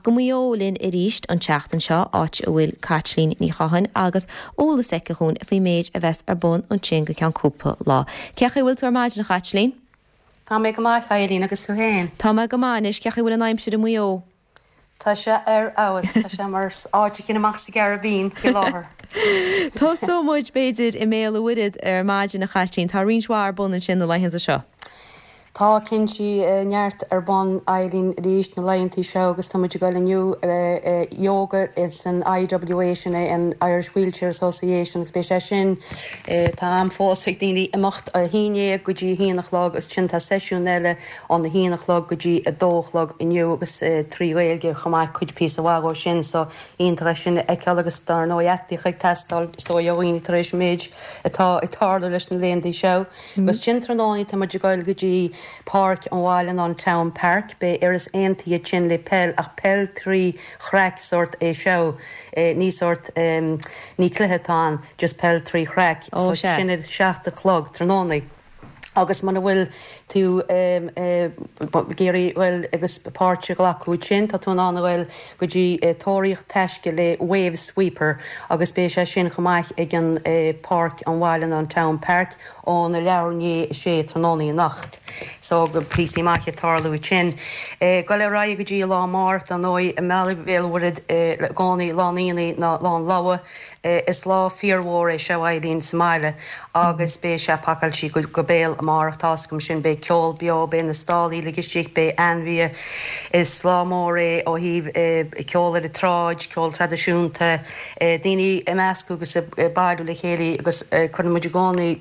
go Maigh Eo linn arís an tseachtain seo, áit a bhfuil Caitlín Ní Chatháin agus eolas aici dhúinn faoin méid a bheas ar bun ansin go ceann cúpla lá. Cén chaoi a bhfuil tú ar maidin, a Chaitlín? Tá mé go maith, a Eileen, agus tú féin? Tá mé go maith anois. Cén chaoi a bhfuil an aimsir i Maigh Eo? Tá sé ar fheabhas. Tá sé mar áit éicint amach sa gCaribbean faoi láthair. Tosóidh muid, b'fhéidir, i mBéal an Mhuirthead ar maidin, a Chaitlín. Tá roinnt mhaith ar bun ansin na laethanta seo. Tá, cinnte, neart ar bun, Eileen, arís na laethantaí seo agus tá muid ag dul inniu yoga san IWA, sin é an Irish Wheelchair Association agus beidh sé sin, tá am fós ag daoine imeacht a haon dhéag go dtí a haon a chlog agus ansin tá seisiún eile óna haon a chlog go dtí a dó a chlog inniu agus trí Ghaeilge chomh maith, cuid píosa mhaith dhó sin so iontach é sin a fheiceáil agus dar ndóigh aclaíocht ag teastáil is dóigh ó dhaoine tar éis an méid atá ag tarlú leis na laethantaí seo. Agus ansin tráthnóna tá muid ag goil go dtí páirc an bhaile ná an Town Park. Beidh Iorras Aontaithe ansin le peil ach peil trí chraic sórt é seo. Ní sórt, ní cluiche atá ann, just peil trí chraic. Ó So sea. sin ar 7 a chlog tráthnóna. Agus muna bhfuil tú ag iarraidh goil agus páirt a ghlacadh ansin, tá tú in ann a ghoil go dtí tóraíocht taisce le Wave Sweeper agus beidh sé sin chomh maith ag an páirc an bhaile ná an Town Park óna leathuair i ndiaidh a sé tráthnóna anocht. So go píosaí maithe ag tarlú ansin. Goil ar aghaidh go dtí an lá amárach dar ndóigh i mBaile Bhéal an Mhuirthead i gcónaí lá an aonaigh ná lá an lobhadh. Is lá fíormhór é seo Eileen sa mbaile agus beidh sé pacáilte go béal amárach tá's agam sin. Beidh ceol beo, beidh na stallaí uilig istigh, beidh ainmhithe. Is lá mór é ó thaobh ceol ar an tsráid, ceol traidisiúnta, daoine ag meascadh agus ag bailiú le chéile agus cuireann muid i gcónaí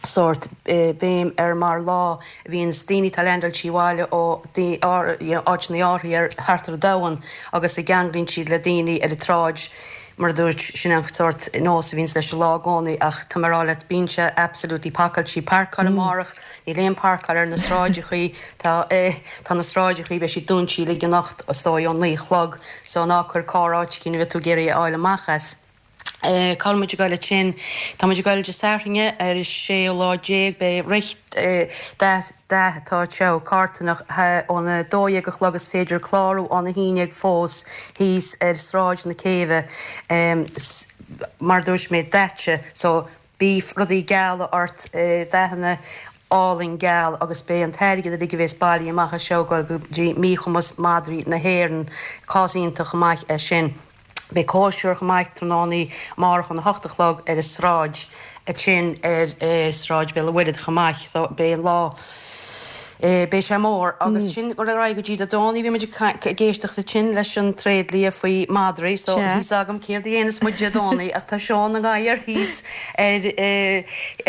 sórt béim ar mar lá a bhíonns daoine atá leaindeáilte abhaile ó áiteanna áirithe ar thart ar an domhan agus a gceanglaíonn siad le daoine ar an tsráid mar a dúirt, sin an sórt nós a bhíonns leis an lá i gcónaí ach tá mé ag rá leat bíonn sé absolutely pacáilte. Páirceáil amárach, níl aon páirceáil ar na sráideachaí, tá tá na sráideachaí beidh siad dúinte uilig anocht is dóigh ón 9 a chlog so ná cuir carr áit éicint a bheidh tú ag iarraidh a fháil amach as. Cá bhfuil muid ag goil ansin? Tá muid ag goil Dé Sathairn ar an séú lá déag. Beidh rith dath atá anseo, carthanach, óna 12 a chlog. Is féidir clárú óna 11 fós thíos ar Sráid na Céibhe. Mar a dúirt mé, daite. So Bíodh rudaí geala ort, dathanna álainn geal agus beidh an t-airgead uilig a bhéas bailithe amach as seo ag goil go dtí Míchumas Madraí na hÉireann. Cás iontach chomh maith é sin. Beidh cóisir chomh maith tráthnóna amárach óna hocht a chlog ar an sráid ansin ar Sráid Bhéal an Mhuirthead chomh maith. So beidh an lá, beidh sé mór. Agus sin dul ar aghaidh go dtí Dé Domhnaigh bhí muid ag éisteacht ansin leis an tréidlia faoi madraí so Sea. níl 's agam céard a dhéanas muid Dé Domhnaigh ach tá seó na ngadhar thíos ar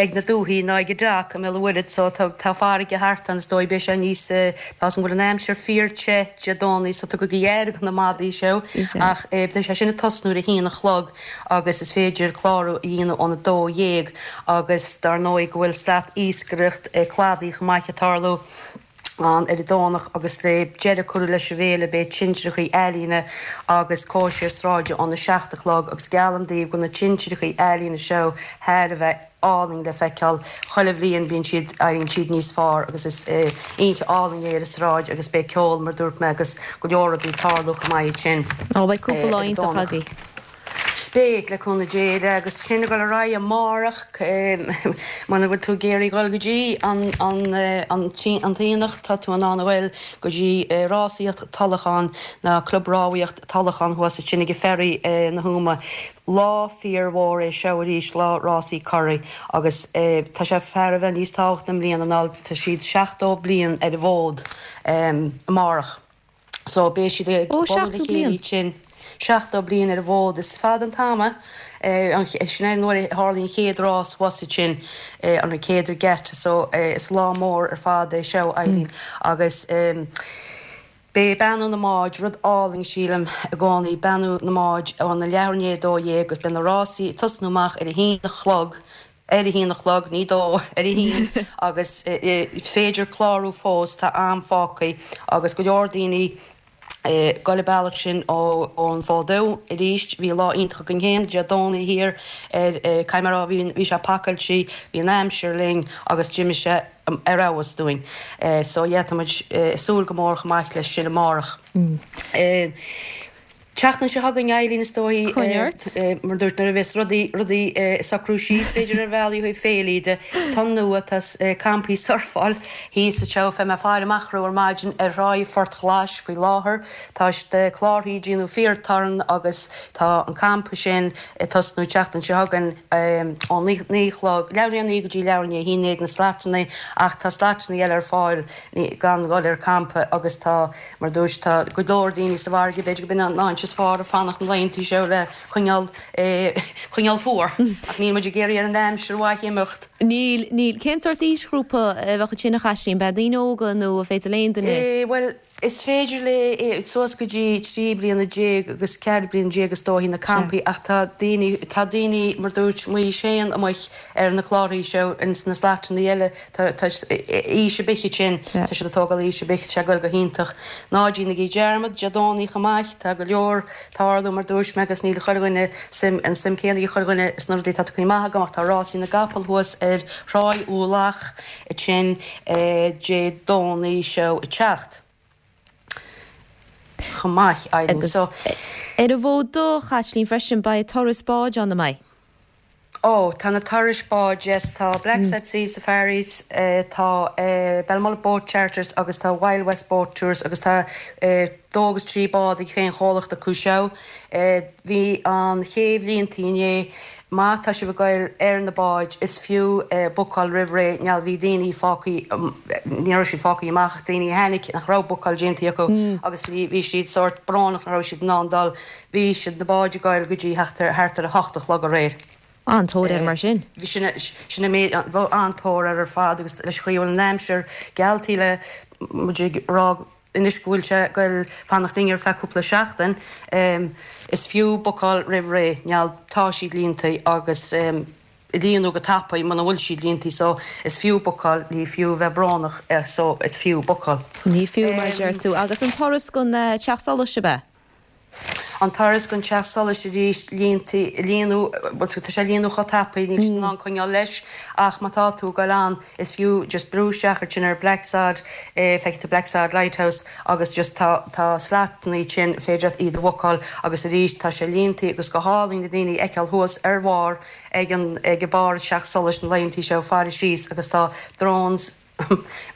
ag na dúthaí ná ag an dock i mBéal an Mhuirthead so tá tá farraige thart ann is dóigh beidh sé níos tá 's agam go bhfuil an aimsir fíor te Dé Domhnaigh so tugaigí aire do na madaí seo ach beidh sé sin ag tosnú ar a haon a chlog agus is féidir clárú a dhéanamh óna 12 agus dar ndóigh go bhfuil slat iascaireacht cladaigh chomh maith ag tarlú ann ar an Domhnach agus le deireadh curtha leis an bhféile beidh tintreachaí ealaíne agus cóisir sráide óna 7 a chlog agus geallaim daoibh go na tintreachaí ealaíne seo thar a bheith álainn le feiceáil. Chuile bhliain bíonn siad, éiríonn siad níos fearr agus is oíche álainn é ar an sráid agus beidh ceol mar dúirt mé agus go leor rudaí ag tarlú chomh maith ansin Ó, beidh cúpla lá ar an iontach Domhnach. agaibh. Beidh, le cúnamh Dé, agus sin ag dul ar aghaidh amárach, muna bhfuil tú ag iarraidh dhul go dtí an an an t-aonach, tá tú in ann a ghoil go dtí rásaíocht Tulachán, ná Club Rámhaíocht Tulachán thuas ansin ag an ferry na hÓmaí. Lá fíor mhór é seo arís, lá rásaí curaidh, agus tá sé thar a bheith níos tábhachtaí i mbliana ná tá siad 70 bliain ar an bhfód amárach. So beidh siad ag Ó, bualadh le 70 chéile bliain! ansin. 70 bliain ar an bhfód, is fada an t-am é. Sin é nuair a tharlaigh an chéad rás thuas ansin, an chéad regatta, so is lá mór ar fad é seo, Eileen, agus. Beidh beannú na mbád, rud álainn sílim i gcónaí, beannú na mbád óna leathuair i ndiaidh 12 agus beidh na rásaí ag tosnú amach ar a haon a chlog, ar a haon a chlog, ní dó, ar a haon agus is féidir clárú fós, tá am fágtha agus go leor daoine. Ag goil an bealach sin ón Fód Dubh arís. Bhí lá iontach againn féin Dé Domhnaigh thiar ar, caithfidh mé a rá, bhí, bhí sé pacáilte, bhí an aimsir linn agus d'imigh sé ar fheabhas dúinn. So yeah, tá muid ag súil go mór chomh maith leis sin amárach. Tseachtain seo chugainn, Eileen, is dóigh, Coinnigh ort. mar dúirt, nuair a bheas rudaí, rudaí ag socrú síos, b'fhéidir, ar bhealaí ó thaobh féilí de, tonn nua, tá campaí surfáil thíos anseo, bhí mé ag faire amach orthu ar maidin ar thráigh Phort Ghlais faoi láthair, tá na clárthaí ag déanamh fíor torann agus tá an campa sin ag tosnú tseachtain seo chugainn ó 9 a chlog, leathuair i ndiaidh a 9 go dtí leathuair i ndiaidh a 11 na slatanna ach tá slatanna eile ar fáil gan dhul ar campa agus tá Mar a dúirt, tá go leor daoine sa bhfarraige, b'fhéidir gurb in an áit is fearr a fanacht na laethanta seo le coinneáil, coinneáil fuar. Ach níl muid ag iarraidh ar an aimsir mhaith imeacht. Níl, níl. Cén sórt aoisghrúpa a bheadh ansin a Chaitlín? Beidh daoine óga nó an féidir le aon duine? Bhuel, is féidir le suas go dtí 13 bliana agus 14 bliana is dóichí na campaí ach tá daoine, tá daoine mar dúirt Maois féin amuigh ar na clárthaí seo ins na slatanna eile, Tá aois ar bith ansin, tá siad ag tógáil aois ar bith, tá sé ag goil go hiontach. Ná déanaigí dearmad, Dé Domhnaigh chomh maith, tá go leor tarlú mar dúirt mé agus níl chuile dhuine suim, an suim céanna ag chuile dhuine sna rudaí atá tagtha amach agam ach tá rásaí na gcapall thuas ar Thráigh Uaimh Lach ansin Dé Domhnaigh seo ag teacht chomh maith, Eileen. Agus ar an bhFód Dubh, a Chaitlín, freisin, beidh turas báid ann, an mbeidh? Ó, tá na turais báid, yes, tá Blacksod Sea Safaris, tá Belmullet Boat Charters agus tá Wild West Boat Tours agus tá dó agus trí bád ag chaon chomhlacht acu seo. Bhí an chéibh líontaí inné. Má tá sibh ag goil ar na báid, is fiú bookáil roimh ré, now bhí daoine fágthaí, ní raibh siad fágthaí amach ach daoine a tháinig nach raibh bookáil déantaí acu agus bhí siad sórt brónach nach raibh siad in ann dul. Bhí siad na báid ag goil go dtí thart ar thart ar a hocht a chlog aréir. An-tóir air mar sin. Bhí sin sin an méid bhí an-tóir air ar fad agus leis an chaoi a bhfuil an aimsir gealltaí le muid ag rá anois go bhfuil sé ag goil fanacht linn ar feadh cúpla seachtain is fiú bookáil roimh ré now tá siad líontaí agus líonadh go tapaidh muna bhfuil siad líontaí so is fiú bookáil, ní fiú bheith brónach so is fiú bookáil. Ní fiú mar a deir tú. Agus an turas gon Teach Solais ab ea? An turas gon Teach Solais arís, líontaí, líonadh, bhuel tá sé ag líonadh chomh tapaidh, níl siad in ann coinneáil leis ach má tá tú ag goil ann is fiú just brú isteach ansin ar Blacksod, feicfidh tú Blacksod Lighthouse agus just tá, tá slatannaí ansin, féidir leat iad a bhookáil agus arís tá sé líontaí agus go hálainn na daoine a fheiceáil thuas ar bharr ag an, ag barr an Teach Solais na laethantaí seo ag faire síos agus tá drones,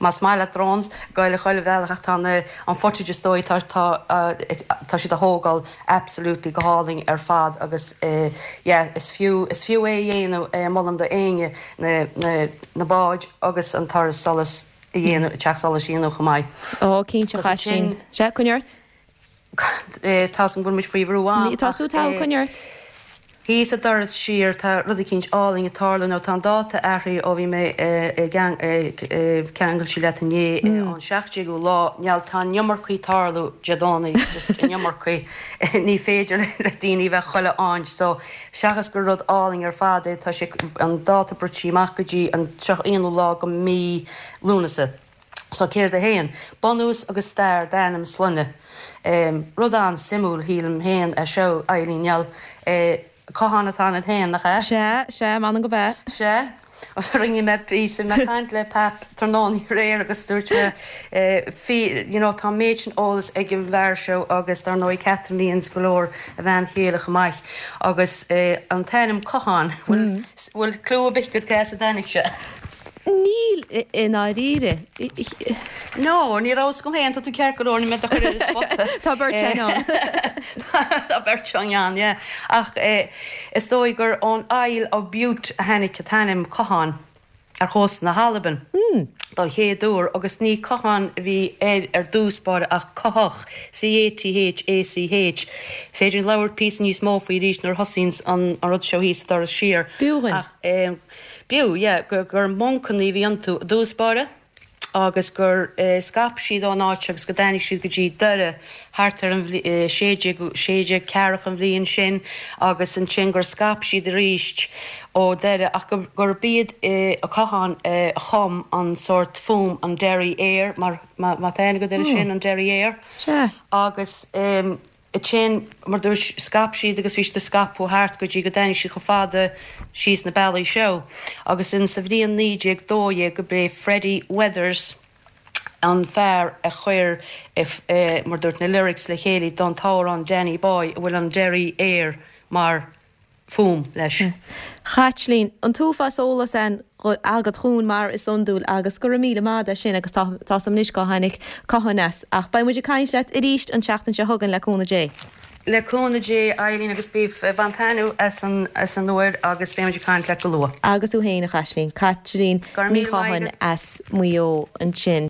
Más maith leat drones, goil a chuile bhealach ach tá na, an footage is dóigh, tá, tá, tá siad a thógáil absolutely go hálainn ar fad agus yeah, is fiú, is fiú é a dhéanamh, molaim do éinne na, na, na báid agus an turas solais a dhéanamh, teach solais a dhéanamh chomh maith. Ó, cinnte, Agus ansin. Chaitlín. Sea, coinnigh ort. Tá 's agam go bhfuil muid faoi bhrú am Tá tú togha, coinnigh ort. Thíos sa doras siar tá rud eicínt álainn ag tarlú nó tá an dáta athraithe ó bhí mé ag ceangailte leat inné an 17ú lá now tá an iomarcaí ag tarlú Dé Domhnaigh just an iomarcaí ní féidir le daoine bheith chuile áit so seachas gur rud álainn ar fad é tá sé an dáta bruite amach go dtí an 31ú lá go mí Lúnasa. So céard é fhéin? Bunús agus stair d'ainm sloinne. Rud an-suimiúil, shílim fhéin, é seo, Eileen now. Cotháin atá ionat fhéin, nach ea? Sea, sea, m'anam go b'ea. Sea. Rinne mé píosa, mé ag caint le Pap tráthnóna aréir agus dúirt mé, you know, tá an méid sin eolas ag an bhfear seo agus dar ndóigh Catherine Lyons go leor, a bhean chéile chomh maith. Agus an t-ainm Cotháin, bhfuil, bhfuil clue ar bith agat cé as a dtáinig sé? Níl, i ndáiríre. No, ní raibh 'fhios agam féin, tá tú ceart go leor, níl mé do chur ar an spota. Tá beirt againn ann. Tá beirt againn ann, yeah. Ach is dóigh gur ón Isle of Bute a tháinig an t-ainm Cotháin ar chósta na hAlban don chéad uair agus ní Cotháin a bhí air ar dtús báire ach Cuthach, C-A-T-H-A-C-H. Féidir linn labhairt píosa níos mó faoi arís nuair a thosaíonns an rud seo thíos sa doras siar. B'fhiú dhuinn. Ach. B'fhiú, yeah, gur moncanna a bhí iontu i dtús báire. Agus gur scaip siad ón áit agus go dtáinig siad go dtí Doire thart ar an 16, 16 ceathracha an bhliain sin agus ansin gur scaip siad arís ó Doire ach gurb iad Ó Catháin a chum an sórt fuaim an Derry Air mar má tá aithne agat air sin an Derry Air agus ansin mar dúirt scaip siad agus bhí siad ag scaipeadh thart go dtí go dtáinig siad chomh fada síos na bealaí seo agus in sa bhliain 1912 go b'é Freddie Weathers an fear a chuir mar dúirt na lyrics le chéile don t-amhrán Danny Boy a bhfuil an Derry Air mar fuaim leis. Chaitlín, an t-uafás eolas agat dhúinn mar is iondúil agus go raibh míle maith agat as sin agus tá tá's agam anois cá tháinig Catháin as. Ach beidh muid ag caint leat arís an tseachtain seo chugainn le cúnamh Dé. Le cúnamh Dé, Eileen, agus bí ag baint taitneamh as an as an uair agus beidh muid ag caint leat go luath. Agus tú féin, a Chaitlín. Caitlín Go raibh Ní míle maith Chatháin agat. as Maigh Eo ansin.